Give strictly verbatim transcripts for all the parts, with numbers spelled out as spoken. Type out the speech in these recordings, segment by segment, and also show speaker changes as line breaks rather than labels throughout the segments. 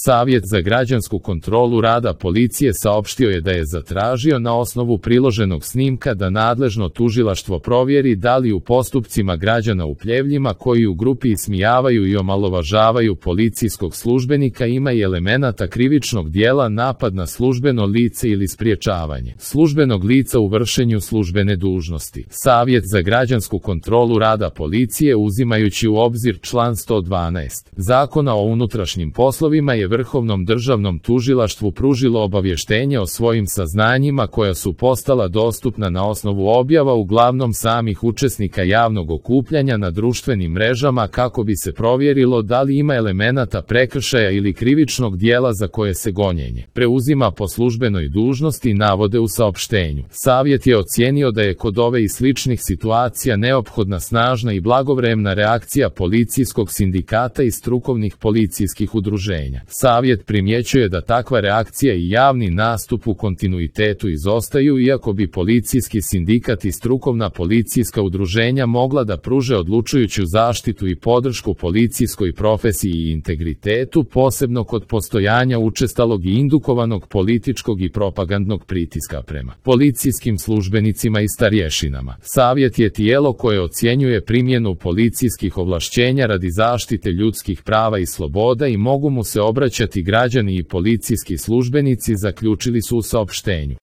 Savjet za građansku kontrolu rada policije saopštio je da je zatražio na osnovu priloženog snimka da nadležno tužilaštvo provjeri da li u postupcima građana u Pljevljima koji u grupi ismijavaju i omalovažavaju policijskog službenika ima i elemenata krivičnog dijela napad na službeno lice ili spriječavanje službenog lica u vršenju službene dužnosti. Savjet za građansku kontrolu rada policije, uzimajući u obzir član sto dvanaest Zakona o unutrašnjim poslovima, je Vrhovnom državnom tužilaštvu pružilo obavještenje o svojim saznanjima koja su postala dostupna na osnovu objava uglavnom samih učesnika javnog okupljanja na društvenim mrežama kako bi se provjerilo da li ima elemenata prekršaja ili krivičnog dijela za koje se gonjenje preuzima po službenoj dužnosti, navode u saopštenju. Savjet je ocijenio da je kod ove i sličnih situacija neophodna snažna i blagovremna reakcija policijskog sindikata i strukovnih policijskih udruženja. Savjet primjećuje da takva reakcija i javni nastup u kontinuitetu izostaju, iako bi policijski sindikat i strukovna policijska udruženja mogla da pruže odlučujuću zaštitu i podršku policijskoj profesiji i integritetu, posebno kod postojanja učestalog i indukovanog političkog i propagandnog pritiska prema policijskim službenicima i starješinama. Savjet je tijelo koje ocjenjuje primjenu policijskih ovlašćenja radi zaštite ljudskih prava i sloboda i mogu mu se obraćati građani i policijski službenici, zaključili su u saopštenju.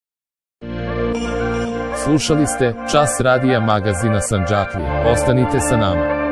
Slušali ste Čas radija magazina Sandžaklije. Ostanite sa nama.